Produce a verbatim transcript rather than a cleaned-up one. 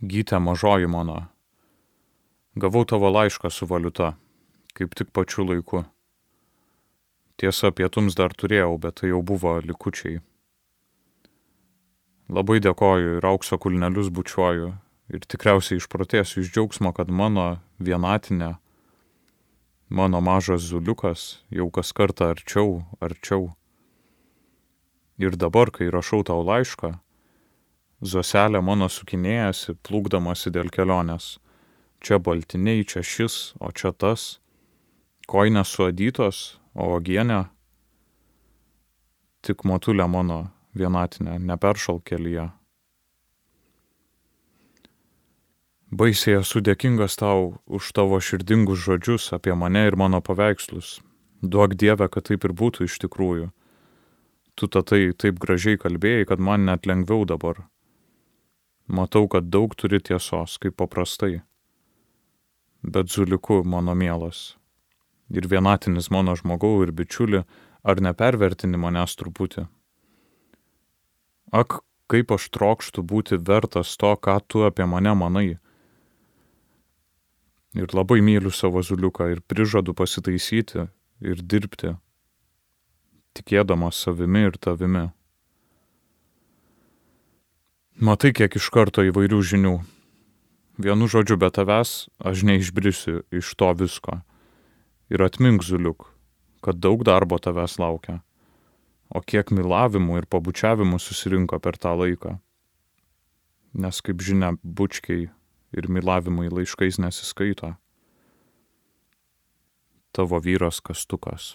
Gyte mažoji mano, gavau tavo laišką su valiuta, kaip tik pačiu laiku. Tiesa, pietums dar turėjau, bet tai jau buvo likučiai. Labai dėkoju ir aukso kulnelius bučiuoju ir tikriausiai išprotėsiu iš džiaugsmo, kad mano vienatinė, mano mažas zuliukas jau kas kartą arčiau, arčiau. Ir dabar, kai rašau tau laišką, zoselė mano sukinėjasi, plūkdamasi dėl kelionės. Čia baltiniai, čia šis, o čia tas. Koinės suadytos, o uogienė tik motulė mano vienatinė, neperšalk kelyje. Baisiai esu dėkingas tau už tavo širdingus žodžius apie mane ir mano paveikslus. Duok Dieve, kad taip ir būtų iš tikrųjų. Tu tatai taip gražiai kalbėjai, kad man net lengviau dabar. Matau, kad daug turi tiesos, kaip paprastai. Bet zuliku mano mielas. Ir vienatinis mano žmogau ir bičiuli, ar nepervertini manęs truputį? Ak, kaip aš trokštu būti vertas to, ką tu apie mane manai. Ir labai myliu savo zuliuką ir prižadu pasitaisyti ir dirbti, tikėdamas savimi ir tavimi. Matai, kiek iš karto įvairių žinių. Vienu žodžiu, be tavęs aš neišbrisiu iš to visko. Ir atmink, zuliuk, kad daug darbo tavęs laukia. O kiek mylavimų ir pabučiavimų susirinko per tą laiką. Nes, kaip žinia, bučkiai ir mylavimai laiškais nesiskaito. Tavo vyras Kastukas.